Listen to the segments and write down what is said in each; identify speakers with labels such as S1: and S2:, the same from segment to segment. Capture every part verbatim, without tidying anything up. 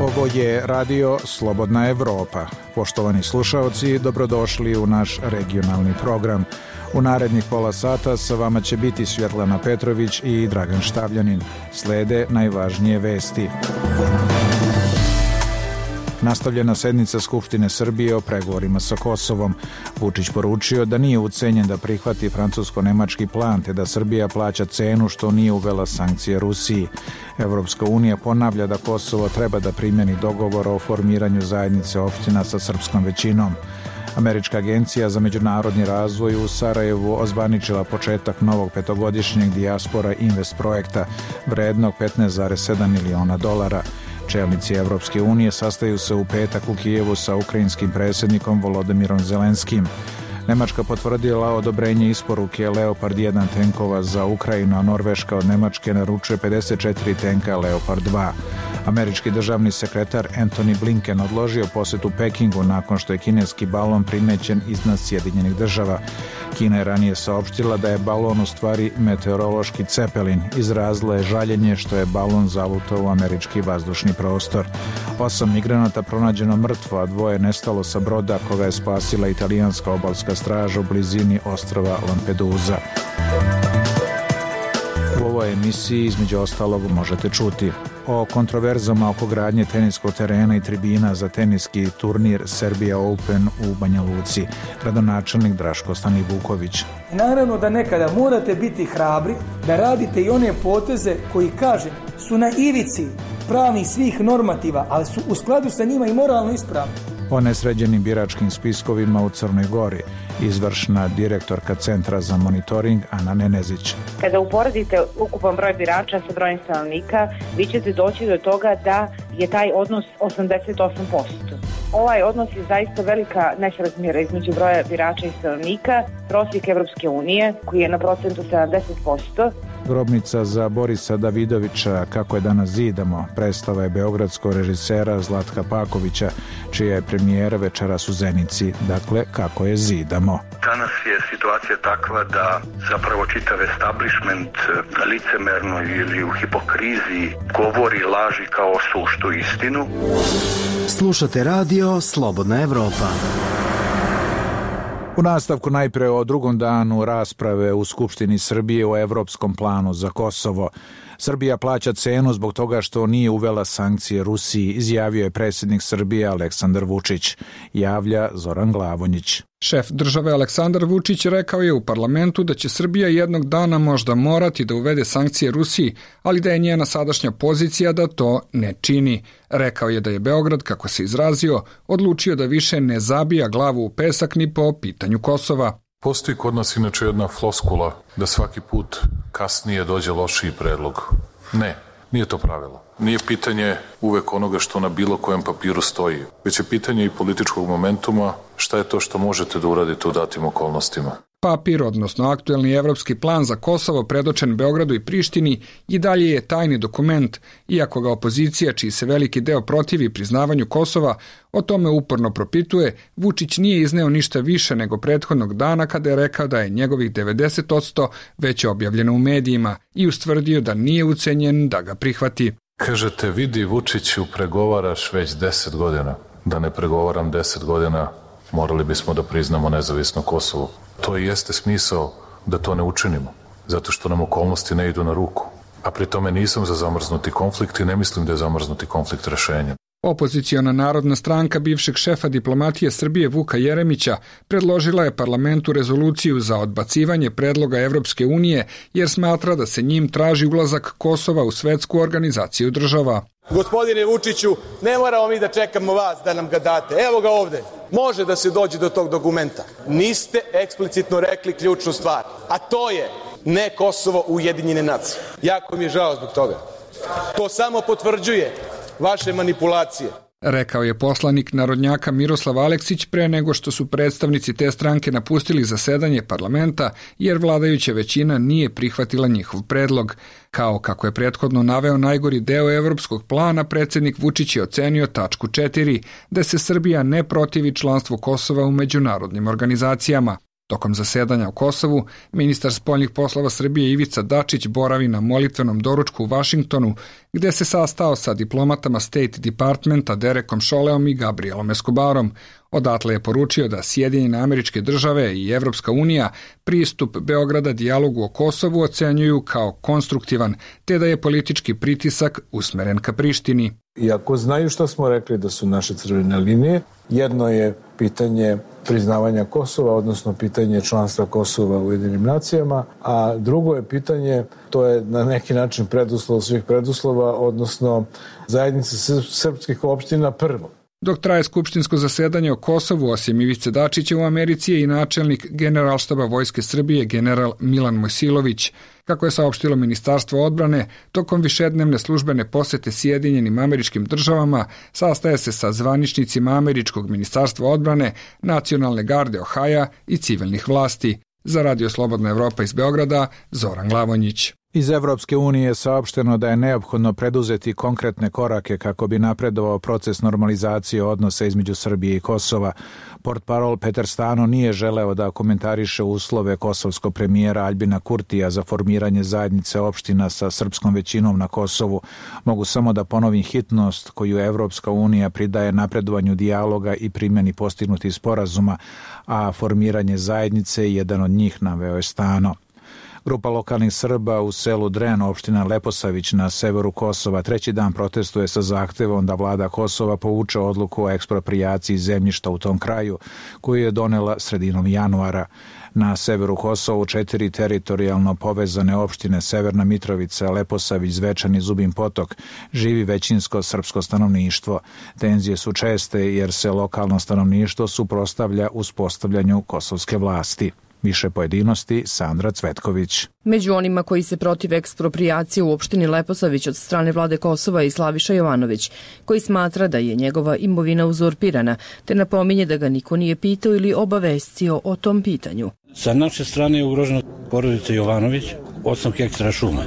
S1: Ovo je radio Slobodna Evropa. Poštovani slušaoci, dobrodošli u naš regionalni program. U narednih pola sata sa vama će biti Svjetlana Petrović i Dragan Štavljanin. Slede najvažnije vesti. Nastavljena sednica Skupštine Srbije o pregovorima sa Kosovom. Vučić poručio da nije ucenjen da prihvati francusko-nemački plan, te da Srbija plaća cenu što nije uvela sankcije Rusiji. Evropska unija ponavlja da Kosovo treba da primjeni dogovor o formiranju zajednice opština sa srpskom većinom. Američka agencija za međunarodni razvoj u Sarajevu ozvaničila početak novog petogodišnjeg dijaspora invest projekta vrednog petnaest zarez sedam miliona dolara. Čelnici Evropske unije sastaju se u petak u Kijevu sa ukrajinskim predsjednikom Volodimirom Zelenskim. Nemačka potvrdila odobrenje isporuke Leopard jedan tenkova za Ukrajinu, a Norveška od Nemačke naručuje pedeset četiri tenka Leopard dva. Američki državni sekretar Antony Blinken odložio posjetu Pekingu nakon što je kineski balon primećen iznad Sjedinjenih država. Kina je ranije saopštila da je balon u stvari meteorološki cepelin. Izrazila je žaljenje što je balon zavutao u američki vazdušni prostor. Osam migranata pronađeno mrtvo, a dvoje nestalo sa broda koga je spasila italijanska obalska straža u blizini ostrva Lampedusa. U ovoj emisiji između ostalog možete čuti o kontroverzama oko gradnje teniskog terena i tribina za teniski turnir Serbia Open u Banja Luci. Gradonačelnik Draško Stanivuković.
S2: Naravno da nekada morate biti hrabri da radite i one poteze koji, kažem, su na ivici pravnih svih normativa, ali su u skladu sa njima i moralno ispravni.
S1: O nesređenim biračkim spiskovima u Crnoj Gori, izvršna direktorka Centra za monitoring Ana Nenezić.
S3: Kada uporedite ukupan broj birača sa brojem stanovnika, vi ćete doći do toga da je taj odnos osamdeset osam posto. Ovaj odnos je zaista velika nesrazmjera između broja birača i stanovnika. Prosjek Evropske unije, koji je na procentu sedamdeset posto.
S1: Grobnica za Borisa Davidovića, Kako je danas zidamo, predstava je beogradskog režisera Zlatka Pakovića, čija je premijera večeras u Zenici. Dakle, Kako je zidamo.
S4: Danas je situacija takva da zapravo čitav establishment licemerno ili u hipokriziji govori laži kao suštu istinu.
S5: Slušate radio Slobodna Evropa.
S1: U nastavku najpre o drugom danu rasprave u Skupštini Srbije o evropskom planu za Kosovo. Srbija plaća cenu zbog toga što nije uvela sankcije Rusiji, izjavio je predsjednik Srbije Aleksandar Vučić, javlja Zoran Glavonjić.
S6: Šef države Aleksandar Vučić rekao je u parlamentu da će Srbija jednog dana možda morati da uvede sankcije Rusiji, ali da je njena sadašnja pozicija da to ne čini. Rekao je da je Beograd, kako se izrazio, odlučio da više ne zabija glavu u pesak ni po pitanju Kosova.
S7: Postoji kod nas inače jedna floskula da svaki put kasnije dođe lošiji predlog. Ne, nije to pravilo. Nije pitanje uvek onoga što na bilo kojem papiru stoji, već je pitanje i političkog momentuma, šta je to što možete da uradite u datim okolnostima.
S6: Papir, odnosno aktuelni evropski plan za Kosovo predočen Beogradu i Prištini, i dalje je tajni dokument, iako ga opozicija, čiji se veliki deo protivi priznavanju Kosova, o tome uporno propituje. Vučić nije izneo ništa više nego prethodnog dana kada je rekao da je njegovih devedeset posto već objavljeno u medijima i ustvrdio da nije ucenjen da ga prihvati.
S7: Kažete, vidi Vučiću, pregovaraš već deset godina. Da ne pregovaram deset godina, morali bismo da priznamo nezavisno Kosovo. To i jeste smisao da to ne učinimo, zato što nam okolnosti ne idu na ruku. A pri tome nisam za zamrznuti konflikt i ne mislim da je zamrznuti konflikt rešenje.
S6: Opoziciona narodna stranka bivšeg šefa diplomatije Srbije Vuka Jeremića predložila je parlamentu rezoluciju za odbacivanje predloga Evropske unije jer smatra da se njim traži ulazak Kosova u svetsku organizaciju država.
S8: Gospodine Vučiću, ne moramo mi da čekamo vas da nam ga date. Evo ga ovde. Može da se dođe do tog dokumenta. Niste eksplicitno rekli ključnu stvar, a to je ne Kosovo u Ujedinjene nacije. Jako mi je žao zbog toga. To samo potvrđuje vaše manipulacije.
S6: Rekao je poslanik narodnjaka Miroslav Aleksić pre nego što su predstavnici te stranke napustili zasedanje parlamenta jer vladajuća većina nije prihvatila njihov predlog. Kao kako je prethodno naveo najgori deo evropskog plana, predsjednik Vučić je ocenio tačku četiri, da se Srbija ne protivi članstvu Kosova u međunarodnim organizacijama. Tokom zasedanja u Kosovu, ministar spoljnih poslova Srbije Ivica Dačić boravi na molitvenom doručku u Vašingtonu, gde se sastao sa diplomatama State Departmenta Derekom Šoleom i Gabrielom Escobarom. Odatle je poručio da Sjedinjene Američke Države i Evropska unija pristup Beograda dijalogu o Kosovu ocenjuju kao konstruktivan, te da je politički pritisak usmeren ka Prištini.
S9: Iako znaju što smo rekli da su naše crvene linije, jedno je pitanje priznavanja Kosova, odnosno pitanje članstva Kosova u Ujedinjenim nacijama, a drugo je pitanje, to je na neki način preduslov svih preduslova, odnosno zajednice srpskih opština prvo.
S6: Dok traje skupštinsko zasedanje o Kosovu, osim Ivice Dačića u Americi je i načelnik Generalštaba Vojske Srbije general Milan Mojsilović. Kako je saopštilo Ministarstvo odbrane, tokom višednevne službene posete Sjedinjenim Američkim Državama sastaje se sa zvaničnicima Američkog ministarstva odbrane, Nacionalne garde Ohaja i civilnih vlasti. Za Radio Slobodna Evropa iz Beograda, Zoran Glavonjić.
S1: Iz Evropske unije je saopšteno da je neophodno preduzeti konkretne korake kako bi napredovao proces normalizacije odnosa između Srbije i Kosova. Portparol Petar Stano nije želeo da komentariše uslove kosovskog premijera Aljbina Kurtija za formiranje zajednice opština sa srpskom većinom na Kosovu. Mogu samo da ponovim hitnost koju Evropska unija pridaje napredovanju dijaloga i primjeni postignutih sporazuma, a formiranje zajednice je jedan od njih, naveo je Stano. Grupa lokalnih Srba u selu Dren, opština Leposavić na severu Kosova, treći dan protestuje sa zahtevom da vlada Kosova povuče odluku o eksproprijaciji zemljišta u tom kraju, koju je donela sredinom januara. Na severu Kosova četiri teritorijalno povezane opštine Severna Mitrovica, Leposavić, Zvečan i Zubin Potok živi većinsko srpsko stanovništvo. Tenzije su česte jer se lokalno stanovništvo suprotstavlja uspostavljanju kosovske vlasti. Više pojedinosti, Sandra Cvetković.
S10: Među onima koji se protiv eksproprijacije u opštini Leposavić od strane vlade Kosova i Slaviša Jovanović, koji smatra da je njegova imovina uzurpirana, te napominje da ga niko nije pitao ili obavestio o tom pitanju.
S11: Sa naše strane je ugrožena porodica Jovanović, osam hektara šume,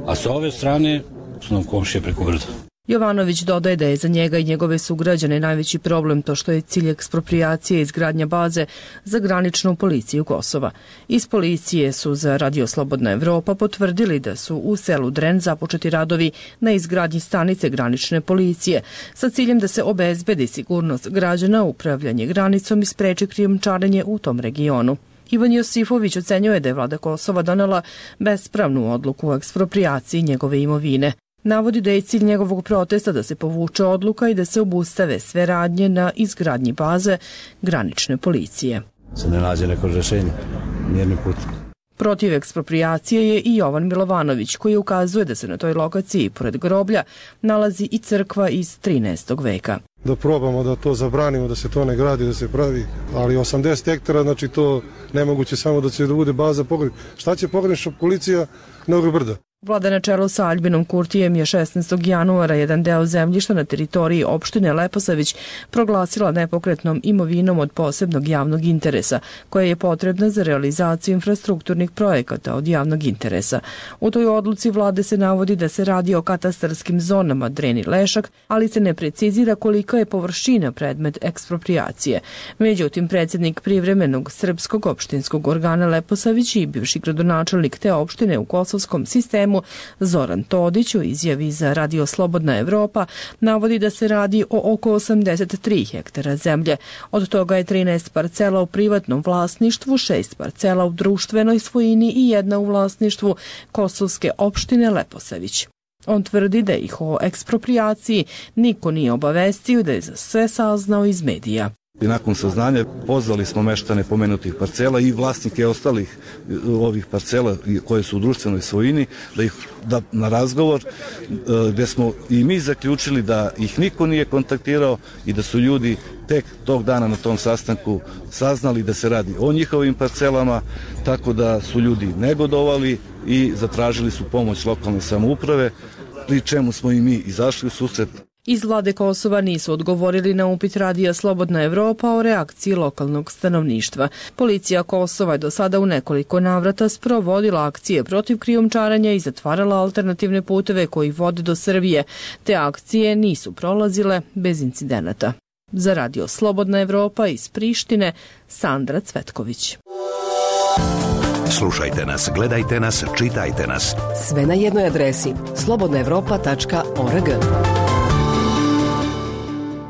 S11: a sa ove strane su nam komšije preko brda.
S10: Jovanović dodaje da je za njega i njegove sugrađane najveći problem to što je cilj eksproprijacije izgradnja baze za graničnu policiju Kosova. Iz policije su za Radio Slobodna Evropa potvrdili da su u selu Dren započeti radovi na izgradnji stanice granične policije sa ciljem da se obezbedi sigurnost građana, upravljanje granicom i spreči krijumčarenje u tom regionu. Ivan Josifović ocenjuje da je vlada Kosova donela bespravnu odluku o eksproprijaciji njegove imovine. Navodi da je cilj njegovog protesta da se povuče odluka i da se obustave sve radnje na izgradnji baze granične policije.
S11: Se ne nađe neko rešenje, nijedni put.
S10: Protiv eksproprijacije je i Jovan Milovanović, koji ukazuje da se na toj lokaciji, pored groblja, nalazi i crkva iz trinaestog veka.
S12: Da probamo da to zabranimo, da se to ne gradi, da se pravi, ali osamdeset hektara, znači to nemoguće samo da će da bude baza pogranična. Šta će pogranična policija na ovog brda?
S10: Vlada na čelu sa Aljbinom Kurtijem je šesnaestog januara jedan deo zemljišta na teritoriji opštine Leposavić proglasila nepokretnom imovinom od posebnog javnog interesa, koja je potrebna za realizaciju infrastrukturnih projekata od javnog interesa. U toj odluci vlade se navodi da se radi o katastarskim zonama Dren i Lešak, ali se ne precizira kolika je površina predmet eksproprijacije. Međutim, predsjednik privremenog srpskog opštinskog organa Leposavić i bivši gradonačelnik te opštine u kosovskom sistemu Zoran Todić u izjavi za Radio Slobodna Evropa navodi da se radi o oko osamdeset tri hektara zemlje. Od toga je trinaest parcela u privatnom vlasništvu, šest parcela u društvenoj svojini i jedna u vlasništvu kosovske opštine Leposavić. On tvrdi da ih o eksproprijaciji niko nije obavestio, da je za sve saznao iz medija.
S13: I nakon saznanja pozvali smo meštane pomenutih parcela i vlasnike ostalih ovih parcela koje su u društvenoj svojini da ih da na razgovor gde smo i mi zaključili da ih niko nije kontaktirao i da su ljudi tek tog dana na tom sastanku saznali da se radi o njihovim parcelama, tako da su ljudi negodovali i zatražili su pomoć lokalne samouprave, pri čemu smo i mi izašli u susret.
S10: Iz vlade Kosova nisu odgovorili na upit Radija Slobodna Evropa o reakciji lokalnog stanovništva. Policija Kosova je do sada u nekoliko navrata sprovodila akcije protiv krijumčarenja i zatvarala alternativne puteve koji vode do Srbije. Te akcije nisu prolazile bez incidenata. Za Radio Slobodna Evropa iz Prištine, Sandra Cvetković.
S14: Slušajte nas, gledajte nas, čitajte nas.
S15: Sve na jednoj adresi slobodna evropa tačka org.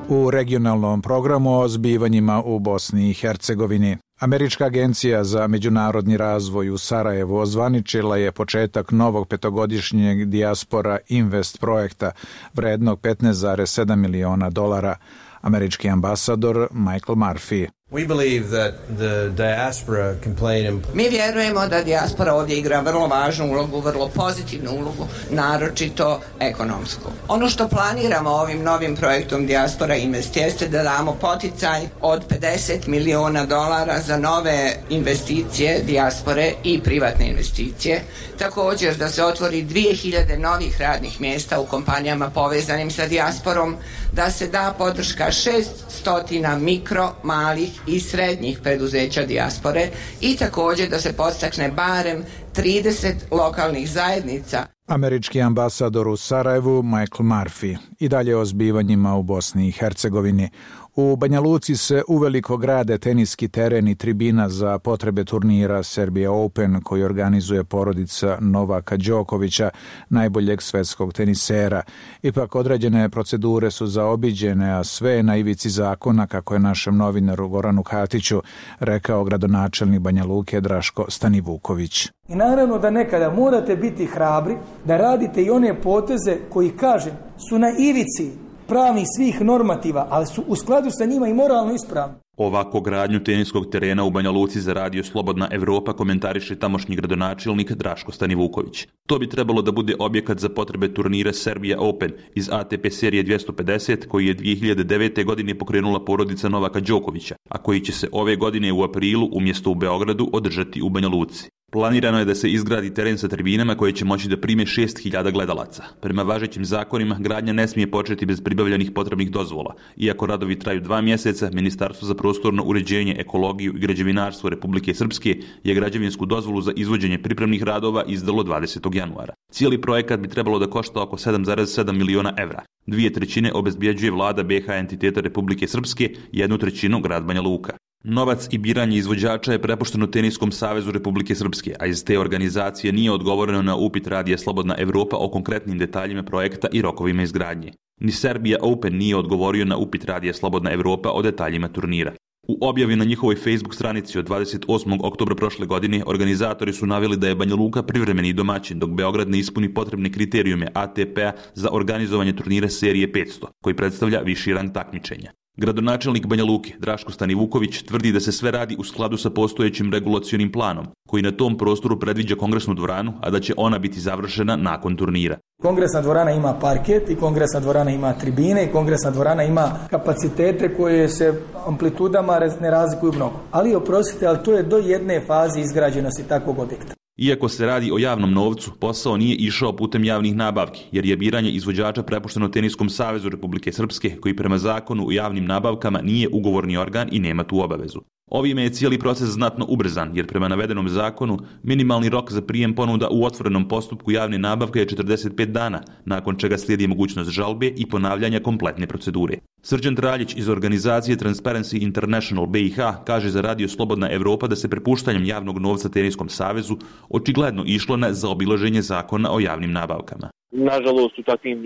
S1: U regionalnom programu o zbivanjima u Bosni i Hercegovini. Američka agencija za međunarodni razvoj u Sarajevu ozvaničila je početak novog petogodišnjeg dijaspora Invest projekta vrednog petnaest zarez sedam miliona dolara. Američki ambasador Michael Murphy.
S16: We believe that the diaspora can play an important...
S17: Mi vjerujemo da dijaspora ovdje igra vrlo važnu ulogu, vrlo pozitivnu ulogu, naročito ekonomsku. Ono što planiramo ovim novim projektom Dijaspora Invest jeste da damo poticaj od pedeset miliona dolara za nove investicije dijaspore i privatne investicije. Također da se otvori dvije hiljade novih radnih mjesta u kompanijama povezanim sa dijasporom, da se da podrška šessto mikro, malih i srednjih preduzeća dijaspore i također da se podstakne barem trideset lokalnih zajednica.
S1: Američki ambasador u Sarajevu Michael Murphy. I dalje o zbivanjima u Bosni i Hercegovini. U Banja Luci se uveliko grade teniski teren i tribina za potrebe turnira Serbia Open koji organizuje porodica Novaka Đokovića, najboljeg svetskog tenisera. Ipak određene procedure su zaobiđene, a sve je na ivici zakona, kako je našem novinaru Goranu Katiću rekao gradonačelnik Banja Luke Draško Stanivuković.
S2: I naravno da nekada morate biti hrabri da radite i one poteze koji, kažem, su na ivici pravnih svih normativa, ali su u skladu sa njima i moralno ispravni.
S18: Ovako gradnju teniskog terena u Banja Luci za radio Slobodna Evropa komentariše tamošnji gradonačelnik Draško Stanivuković. To bi trebalo da bude objekat za potrebe turnira Serbia Open iz A T P serije dvjesto pedeset koji je dvije hiljade devete. godine pokrenula porodica Novaka Đokovića, a koji će se ove godine u aprilu umjesto u Beogradu održati u Banja Luci. Planirano je da se izgradi teren sa tribinama koje će moći da prime šest hiljada gledalaca. Prema važećim zakonima, gradnja ne smije početi bez pribavljenih potrebnih dozvola. Iako radovi traju dva mjeseca, Ministarstvo za prostorno uređenje, ekologiju i građevinarstvo Republike Srpske je građevinsku dozvolu za izvođenje pripremnih radova izdalo dvadesetog januara. Cijeli projekat bi trebalo da košta oko sedam zarez sedam miliona evra. Dvije trećine obezbjeđuje vlada B H entiteta Republike Srpske, jednu trećinu grad Banja Luka. Novac i biranje izvođača je prepušteno Teniskom savezu Republike Srpske, a iz te organizacije nije odgovoreno na upit radija Slobodna Evropa o konkretnim detaljima projekta i rokovima izgradnje. Ni Serbia Open nije odgovorio na upit radija Slobodna Evropa o detaljima turnira. U objavi na njihovoj Facebook stranici od dvadeset osmog oktobra prošle godine organizatori su naveli da je Banja Luka privremeni domaćin dok Beograd ne ispuni potrebne kriterijume A T P-a za organizovanje turnira serije petsto, koji predstavlja viši rang takmičenja. Gradonačelnik Banja Luke Draško Stanivuković tvrdi da se sve radi u skladu sa postojećim regulacionim planom, koji na tom prostoru predviđa kongresnu dvoranu, a da će ona biti završena nakon turnira.
S2: Kongresna dvorana ima parket i kongresna dvorana ima tribine i kongresna dvorana ima kapacitete koje se amplitudama ne razlikuju mnogo. Ali oprostite, ali to je do jedne faze izgrađenosti takvog objekta.
S18: Iako se radi o javnom novcu, posao nije išao putem javnih nabavki, jer je biranje izvođača prepušteno Teniskom savezu Republike Srpske, koji prema zakonu o javnim nabavkama nije ugovorni organ i nema tu obavezu. Ovime je cijeli proces znatno ubrzan, jer prema navedenom zakonu minimalni rok za prijem ponuda u otvorenom postupku javne nabavke je četrdeset pet dana, nakon čega slijedi mogućnost žalbe i ponavljanja kompletne procedure. Srđan Traljić iz organizacije Transparency International B i H kaže za radio Slobodna Evropa da se prepuštanjem javnog novca Teniskom savezu očigledno išlo na zaobilaženje zakona o javnim nabavkama.
S19: Nažalost, u takvim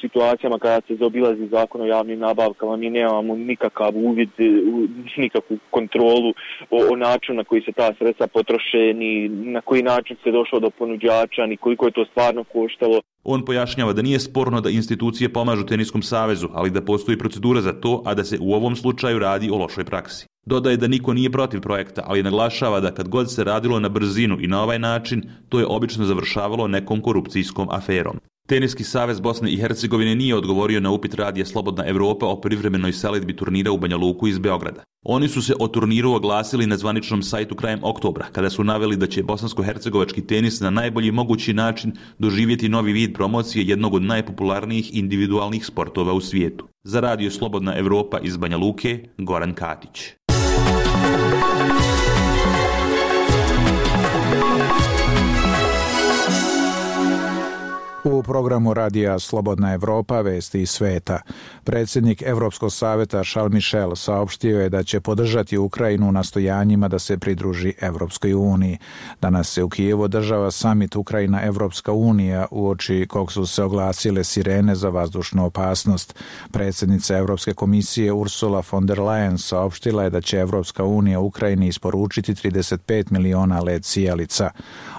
S19: situacijama kada se zaobilazi zakon o javnim nabavkama, mi nemamo nikakav uvid, nikakvu kontrolu o, o načinu na koji se ta sredstva potroše, ni na koji način se došlo do ponuđača, ni koliko je to stvarno koštalo.
S18: On pojašnjava da nije sporno da institucije pomažu Teniskom savezu, ali da postoji procedura za to, a da se u ovom slučaju radi o lošoj praksi. Dodaje da niko nije protiv projekta, ali naglašava da kad god se radilo na brzinu i na ovaj način, to je obično završavalo nekom korupcijskom aferom. Teniski savez Bosne i Hercegovine nije odgovorio na upit radija Slobodna Evropa o privremenoj selidbi turnira u Banja Luku iz Beograda. Oni su se o turniru oglasili na zvaničnom sajtu krajem oktobra, kada su naveli da će bosansko-hercegovački tenis na najbolji mogući način doživjeti novi vid promocije jednog od najpopularnijih individualnih sportova u svijetu. Za radio Slobodna Evropa iz Banja Luke, Goran Katić.
S1: U programu radija Slobodna Evropa, vesti iz sveta. Predsjednik Evropskog savjeta Charles Michel saopštio je da će podržati Ukrajinu u nastojanjima da se pridruži Evropskoj uniji. Danas se u Kijevu održava samit Ukrajina-Evropska unija, uoči kog su se oglasile sirene za vazdušnu opasnost. Predsjednica Evropske komisije Ursula von der Leyen saopštila je da će Evropska unija Ukrajini isporučiti trideset pet miliona let sijalica.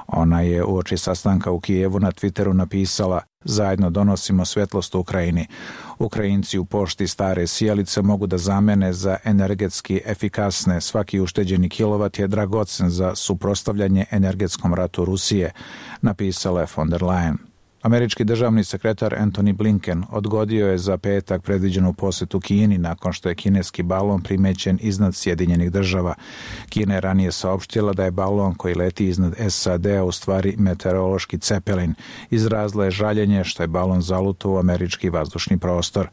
S1: Ona je uoči sastanka u Kijevu na Twitteru napisala: zajedno donosimo svjetlost Ukrajini. Ukrajinci u pošti stare sijalice mogu da zamene za energetski efikasne. Svaki ušteđeni kilovat je dragocen za suprotstavljanje energetskom ratu Rusije, napisala je von der Leyen. Američki državni sekretar Antony Blinken odgodio je za petak predviđenu posjetu Kini nakon što je kineski balon primećen iznad Sjedinjenih država. Kina je ranije saopštila da je balon koji leti iznad S A D-a u stvari meteorološki cepelin. Izrazila je žaljenje što je balon zalutao u američki vazdušni prostor.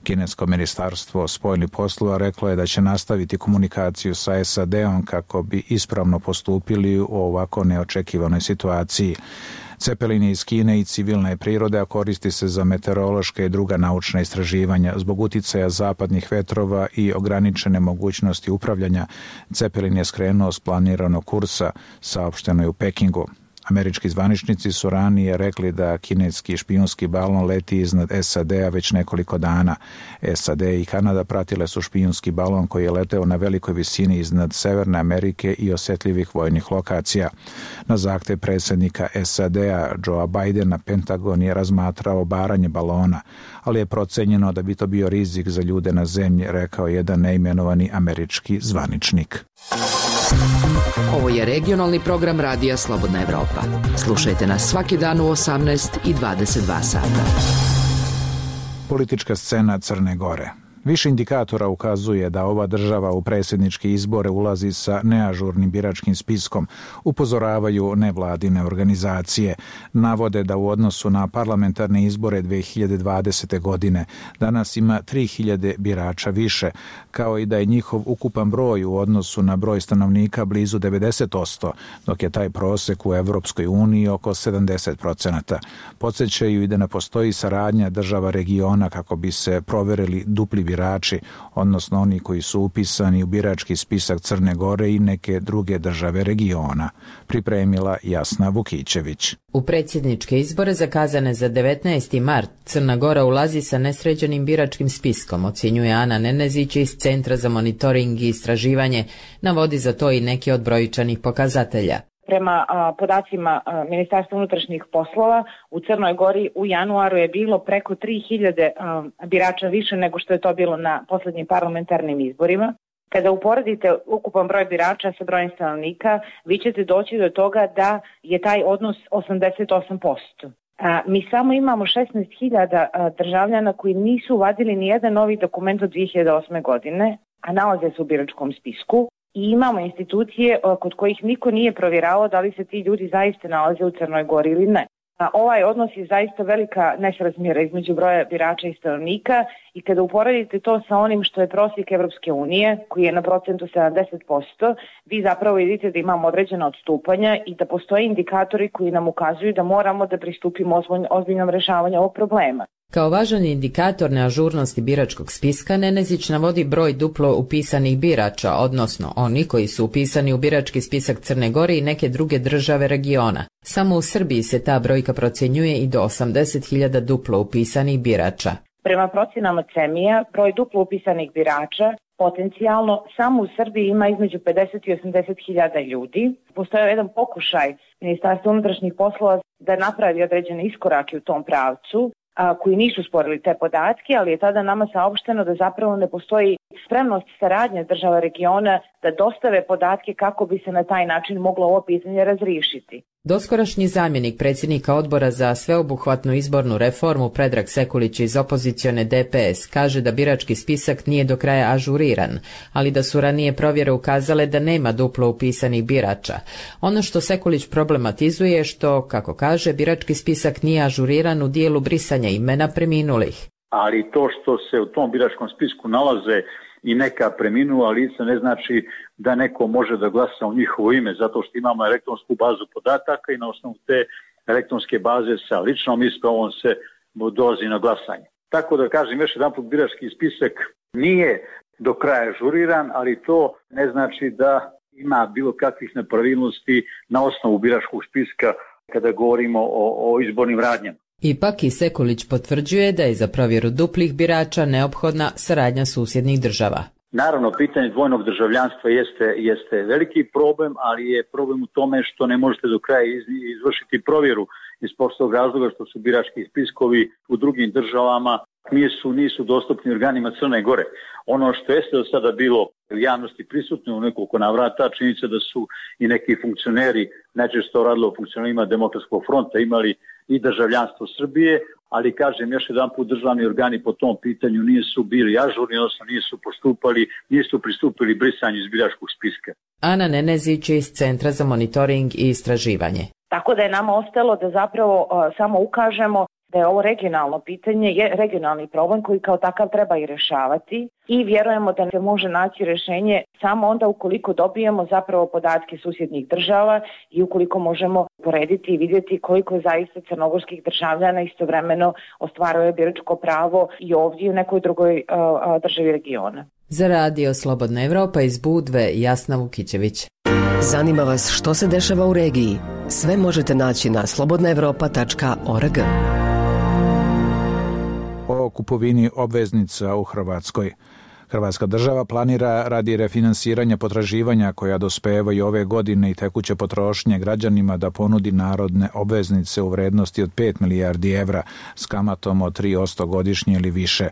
S1: Kinesko ministarstvo spoljnih poslova reklo je da će nastaviti komunikaciju sa S A D-om kako bi ispravno postupili u ovako neočekivanoj situaciji. Cepelin je iz Kine i civilne prirode, a koristi se za meteorološke i druga naučna istraživanja. Zbog uticaja zapadnih vetrova i ograničene mogućnosti upravljanja, Cepelin je skrenuo s planiranog kursa, saopšteno je u Pekingu. Američki zvaničnici su ranije rekli da kineski špijunski balon leti iznad S A D-a već nekoliko dana. S A D i Kanada pratile su špijunski balon koji je leteo na velikoj visini iznad Severne Amerike i osjetljivih vojnih lokacija. Na zahtev predsjednika S A D-a Joea Bidena, Pentagon je razmatrao obaranje balona, ali je procenjeno da bi to bio rizik za ljude na zemlji, rekao jedan neimenovani američki zvaničnik.
S15: Ovo je regionalni program radija Slobodna Evropa. Slušajte nas svaki dan u osamnaest i dvadeset dva sata.
S1: Politička scena Crne Gore. Više indikatora ukazuje da ova država u predsjedničke izbore ulazi sa neažurnim biračkim spiskom, upozoravaju nevladine organizacije. Navode da u odnosu na parlamentarne izbore dve hiljade dvadesete. godine danas ima tri hiljade birača više, kao i da je njihov ukupan broj u odnosu na broj stanovnika blizu devedeset posto, dok je taj prosek u Evropskoj uniji oko sedamdeset procenata. Podsjećaju i da ne postoji saradnja država regiona kako bi se proverili dupli birači birači, odnosno oni koji su upisani u birački spisak Crne Gore i neke druge države regiona, pripremila Jasna Vukićević.
S20: U predsjedničke izbore zakazane za devetnaesti mart Crna Gora ulazi sa nesređenim biračkim spiskom, ocjenjuje Ana Nenezić iz Centra za monitoring i istraživanje, navodi za to i neki od brojčanih pokazatelja.
S3: Prema a, podacima a, Ministarstva unutrašnjih poslova, u Crnoj Gori u januaru je bilo preko tri hiljade a, birača više nego što je to bilo na posljednjim parlamentarnim izborima. Kada uporedite ukupan broj birača sa brojem stanovnika, vi ćete doći do toga da je taj odnos osamdeset osam posto. A, mi samo imamo šesnaest hiljada državljana koji nisu vadili ni jedan novi dokument od dve hiljade osme. godine, a nalaze se u biračkom spisku. I imamo institucije kod kojih niko nije provjeravao da li se ti ljudi zaista nalaze u Crnoj Gori ili ne. A ovaj odnos je zaista velika nesrazmjera između broja birača i stanovnika i kada uporedite to sa onim što je prosjek Evropske unije, koji je na procentu sedamdeset posto, vi zapravo vidite da imamo određena odstupanja i da postoje indikatori koji nam ukazuju da moramo da pristupimo ozbiljnom rješavanju ovog problema.
S20: Kao važan indikator neažurnosti biračkog spiska, Nenezić navodi broj duplo upisanih birača, odnosno oni koji su upisani u birački spisak Crne Gore i neke druge države regiona. Samo u Srbiji se ta brojka procjenjuje i do osamdeset hiljada duplo upisanih birača.
S3: Prema procjenama CEMIA, broj duplo upisanih birača potencijalno samo u Srbiji ima između pedeset i osamdeset hiljada ljudi. Postoje jedan pokušaj Ministarstva unutrašnjih poslova da napravi određene iskorake u tom pravcu, a, koji nisu sporili te podatke, ali je tada nama saopšteno da zapravo ne postoji spremnost saradnje država regiona da dostave podatke kako bi se na taj način moglo ovo pitanje razriješiti.
S20: Doskorašnji zamjenik predsjednika odbora za sveobuhvatnu izbornu reformu Predrag Sekulić iz opozicione D P S kaže da birački spisak nije do kraja ažuriran, ali da su ranije provjere ukazale da nema duplo upisanih birača. Ono što Sekulić problematizuje je što, kako kaže, birački spisak nije ažuriran u dijelu brisanja imena preminulih.
S21: Ali to što se u tom biračkom spisku nalaze i neka preminula lica ne znači da neko može da glasa u njihovo ime, zato što imamo elektronsku bazu podataka i na osnovu te elektronske baze sa ličnom ispravom se dolazi na glasanje. Tako da kažem još jedan put, birački spisak nije do kraja ažuriran, ali to ne znači da ima bilo kakvih nepravilnosti na osnovu biračkog spiska kada govorimo o, o izbornim radnjama.
S20: Ipak i Sekulić potvrđuje da je za provjeru duplih birača neophodna saradnja susjednih država.
S21: Naravno, pitanje dvojnog državljanstva jeste, jeste veliki problem, ali je problem u tome što ne možete do kraja izvršiti provjeru iz prostog razloga što su birački spiskovi u drugim državama nisu, nisu dostupni organima Crne Gore. Ono što jeste do sada bilo u javnosti prisutno u nekoliko navrata, činjenica da su i neki funkcioneri, najčešće radilo o funkcionerima Demokratskog fronta, imali i državljanstvo Srbije, ali kažem još jedan put, državni organi po tom pitanju nisu bili ažurni, odnosno nisu postupali, nisu pristupili brisanju iz biračkog spiska.
S20: Ana Nenezić iz Centra za monitoring i istraživanje.
S3: Tako da je nama ostalo da zapravo uh, samo ukažemo da je ovo regionalno pitanje, je regionalni problem koji kao takav treba i rješavati i vjerujemo da se može naći rješenje samo onda ukoliko dobijemo zapravo podatke susjednih država i ukoliko možemo porediti i vidjeti koliko zaista crnogorskih državljana istovremeno ostvaruje biračko pravo i ovdje i u nekoj drugoj uh, državi regiona.
S20: Za Radio Slobodna Evropa iz Budve, Jasna Vukićević.
S4: Zanima vas što se dešava u regiji? Sve možete naći na slobodna evropa tačka org.
S1: O kupovini obveznica u Hrvatskoj. Hrvatska država planira radi refinansiranja potraživanja koja dospevaju ove godine i tekuće potrošnje građanima da ponudi narodne obveznice u vrednosti od pet milijardi evra s kamatom od tri posto godišnje ili više.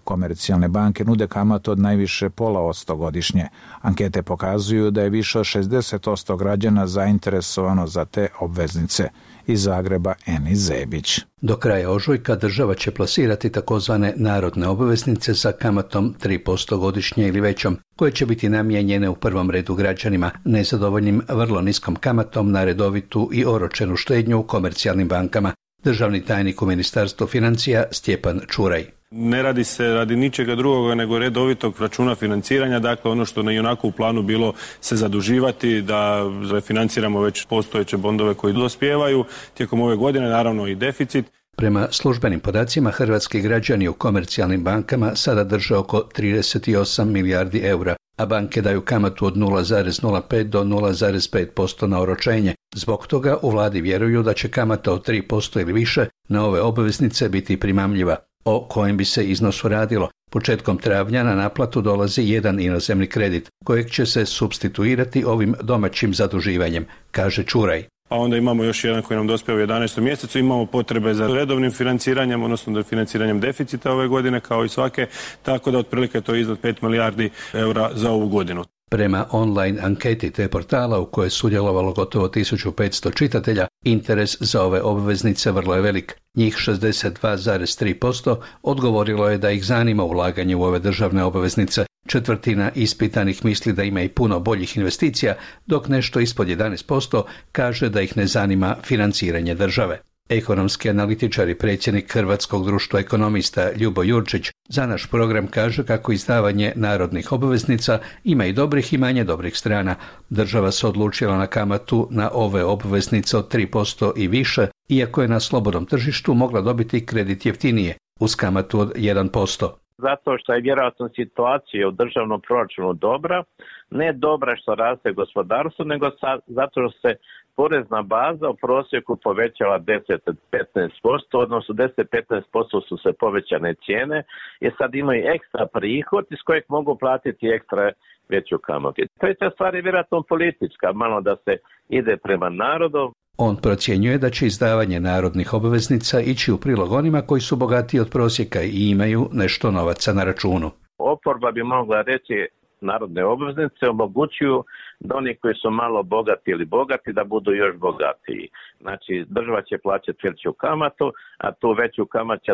S1: Komercijalne banke nude kamatu od najviše pola posto godišnje. Ankete pokazuju da je više od šezdeset posto građana zainteresovano za te obveznice. Iz Zagreba Eni Zebić.
S22: Do kraja ožujka država će plasirati takozvane narodne obveznice sa kamatom tri posto godišnje ili većom, koje će biti namijenjene u prvom redu građanima nezadovoljnim vrlo niskom kamatom na redovitu i oročenu štednju u komercijalnim bankama. Državni tajnik u Ministarstvu financija Stjepan Čuraj.
S23: Ne radi se radi ničega drugoga nego redovitog računa financiranja, dakle ono što na ionako u planu bilo se zaduživati, da refinanciramo već postojeće bondove koji dospijevaju tijekom ove godine, naravno i deficit.
S22: Prema službenim podacima, hrvatski građani u komercijalnim bankama sada drže oko trideset osam milijardi eura, a banke daju kamatu od nula zarez nula pet do nula zarez pet posto na oročenje. Zbog toga u vladi vjeruju da će kamata od tri posto ili više na ove obveznice biti primamljiva. O kojem bi se iznosu radilo? Početkom travnja na naplatu dolazi jedan inozemni kredit, kojeg će se supstituirati ovim domaćim zaduživanjem, kaže Čuraj.
S23: A onda imamo još jedan koji nam dospije u jedanaestom mjesecu, imamo potrebe za redovnim financiranjem, odnosno da financiranjem deficita ove godine kao i svake, tako da otprilike to je iznad pet milijardi eura za ovu godinu.
S22: Prema online anketi te portala u kojoj je sudjelovalo gotovo tisuću petsto čitatelja, interes za ove obveznice vrlo je velik. Njih šezdeset dva zarez tri posto odgovorilo je da ih zanima ulaganje u ove državne obveznice. Četvrtina ispitanih misli da ima i puno boljih investicija, dok nešto ispod jedanaest posto kaže da ih ne zanima financiranje države. Ekonomski analitičar i predsjednik Hrvatskog društva ekonomista Ljubo Jurčić za naš program kaže kako izdavanje narodnih obveznica ima i dobrih i manje dobrih strana. Država se odlučila na kamatu na ove obveznice od tri posto i više, iako je na slobodnom tržištu mogla dobiti kredit jeftinije, uz kamatu od jedan posto.
S24: Zato što je vjerojatno situacija u državnom proračunu dobra, ne dobra što raste gospodarstvo, nego sa, zato što se porezna baza u prosjeku povećala deset do petnaest posto, odnosno deset do petnaest posto su se povećane cijene i sad imaju ekstra prihod iz kojeg mogu platiti ekstra veću kamatu. Treća stvar je vjerojatno politička, malo da se ide prema narodu.
S22: On procjenjuje da će izdavanje narodnih obveznica ići u prilog onima koji su bogatiji od prosjeka i imaju nešto novaca na računu.
S24: Oporba bi mogla reći narodne obveznice omogućuju da oni koji su malo bogati ili bogati da budu još bogatiji. Znači država će plaćati veću kamatu, a tu veću kamatu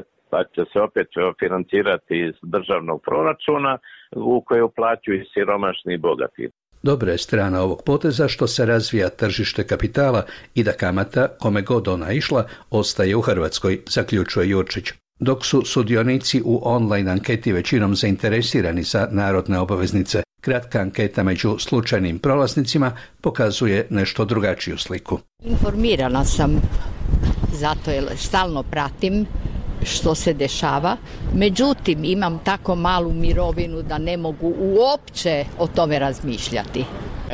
S24: će se opet financirati iz državnog proračuna u koju uplaćuju i siromašni i bogati.
S22: Dobra je strana ovog poteza što se razvija tržište kapitala i da kamata, kome god ona išla, ostaje u Hrvatskoj, zaključuje Jurčić. Dok su sudionici u online anketi većinom zainteresirani za narodne obveznice, Kratka anketa među slučajnim prolaznicima pokazuje nešto drugačiju sliku.
S5: Informirana sam, zato jer stalno pratim što se dešava. Međutim, imam tako malu mirovinu da ne mogu uopće o tome razmišljati.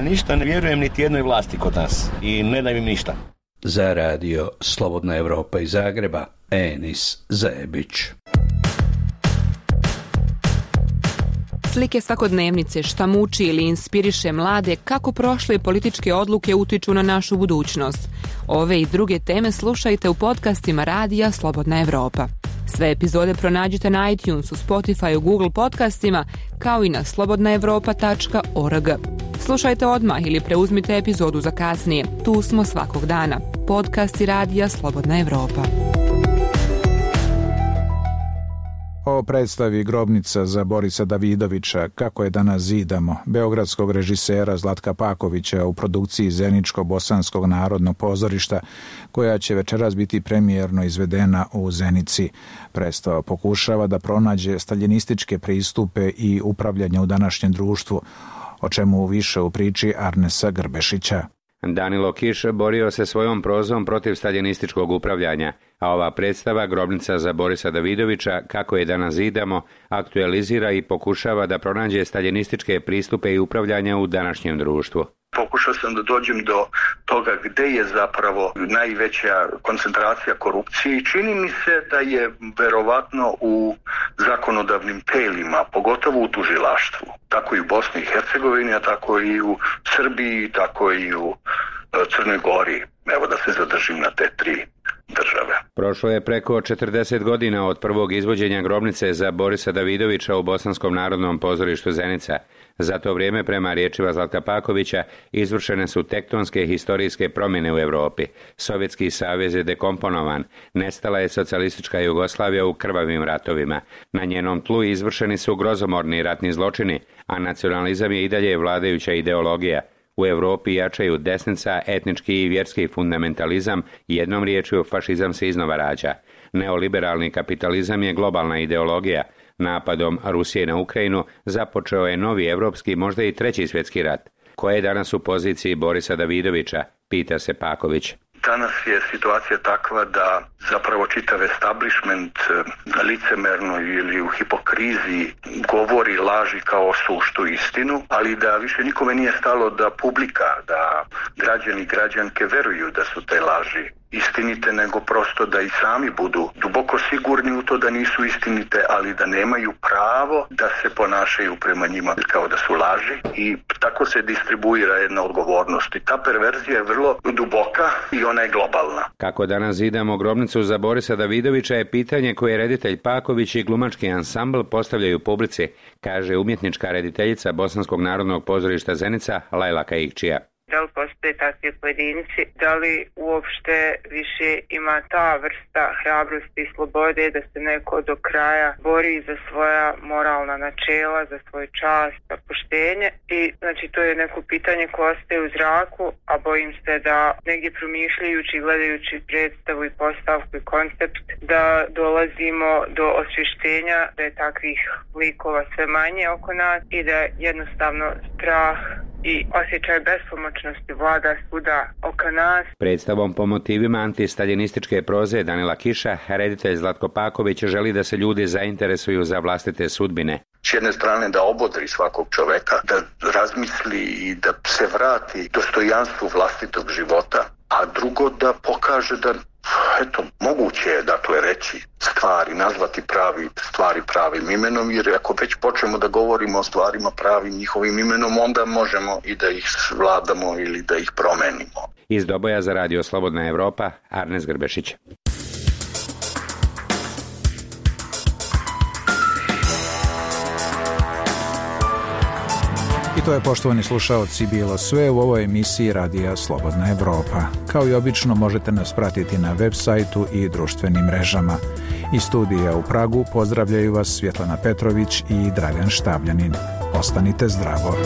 S7: Ništa ne vjerujem niti jednoj vlasti kod nas i ne dajem im ništa.
S22: Za radio Slobodna Evropa iz Zagreba, Enis Zebić.
S8: Slike svakodnevnice, šta muči ili inspiriše mlade, kako prošle političke odluke utiču na našu budućnost. Ove i druge teme slušajte u podcastima Radija Slobodna Evropa. Sve epizode pronađite na iTunesu, Spotify, Google podcastima, kao i na slobodna evropa tačka org. Slušajte odmah ili preuzmite epizodu za kasnije. Tu smo svakog dana. Podcasti Radija Slobodna Evropa.
S1: O predstavi Grobnica za Borisa Davidovića, kako je danas zidamo, beogradskog režisera Zlatka Pakovića u produkciji Zeničko-bosanskog narodnog pozorišta, koja će večeras biti premijerno izvedena u Zenici. Predstava pokušava da pronađe staljinističke pristupe i upravljanje u današnjem društvu, o čemu više u priči Arnesa Grbešića.
S9: Danilo Kiš borio se svojom prozom protiv staljinističkog upravljanja, a ova predstava Grobnica za Borisa Davidovića, kako je danas zidamo, aktualizira i pokušava da pronađe staljinističke pristupe i upravljanja u današnjem društvu.
S25: Pokušao sam da dođem do toga gde je zapravo najveća koncentracija korupcije i čini mi se da je verovatno u zakonodavnim telima, pogotovo u tužilaštvu. Tako i u Bosni i Hercegovini, a tako i u Srbiji, tako i u Crnoj Gori. Evo da se zadržim na te tri države.
S9: Prošlo je preko četrdeset godina od prvog izvođenja Grobnice za Borisa Davidovića u Bosanskom narodnom pozorištu Zenica. Za to vrijeme, prema riječima Zlatka Pakovića, izvršene su tektonske historijske promjene u Europi. Sovjetski savez je dekomponovan, nestala je socijalistička Jugoslavija u krvavim ratovima. Na njenom tlu izvršeni su grozomorni ratni zločini, a nacionalizam je i dalje vladajuća ideologija. U Europi jačaju desnica, etnički i vjerski fundamentalizam, jednom riječju fašizam se iznova rađa. Neoliberalni kapitalizam je globalna ideologija. Napadom Rusije na Ukrajinu započeo je novi evropski, možda i treći svjetski rat. Ko je danas u poziciji Borisa Davidovića, pita se Paković.
S25: Danas je situacija takva da zapravo čitav establishment licemerno ili u hipokriziji govori laži kao suštu istinu, ali da više nikome nije stalo da publika, da građani i građanke veruju da su te laži istinite, nego prosto da i sami budu duboko sigurni u to da nisu istinite, ali da nemaju pravo da se ponašaju prema njima kao da su laži i tako se distribuira jedna odgovornost. I ta perverzija je vrlo duboka i ona je globalna.
S9: Kako danas zidamo Grobnicu za Borisa Davidovića je pitanje koje reditelj Paković i glumački ansambl postavljaju publici, kaže umjetnička rediteljica Bosanskog narodnog pozorišta Zenica Lajla Kaikčija.
S26: Da li postoje takvi pojedinci, da li uopšte više ima ta vrsta hrabrosti i slobode da se neko do kraja bori za svoja moralna načela, za svoj čast, za poštenje. I znači to je neko pitanje koje ostaje u zraku, a bojim se da negdje promišljajući i gledajući predstavu i postavku i koncept da dolazimo do osvještenja da je takvih likova sve manje oko nas i da jednostavno strah i osjećaj bespomoćnosti vlada svuda oko nas.
S9: Predstavom po motivima antistaljinističke proze Danila Kiša, reditelj Zlatko Paković želi da se ljudi zainteresuju za vlastite sudbine.
S25: S jedne strane da obodri svakog čoveka, da razmisli i da se vrati dostojanstvu vlastitog života, a drugo da pokaže da eto, moguće je dakle reći stvari, nazvati pravi stvari pravim imenom, jer ako već počnemo da govorimo o stvarima pravim njihovim imenom, onda možemo i da ih vladamo ili da ih promenimo.
S9: Iz Doboja za Radio Slobodna Evropa, Arnes Grbešić.
S1: I to je, poštovani slušaoci, bilo sve u ovoj emisiji Radija Slobodna Evropa. Kao i obično možete nas pratiti na web sajtu i društvenim mrežama. Iz studija u Pragu pozdravljaju vas Svjetlana Petrović i Dragan Štavljanin. Ostanite zdravo.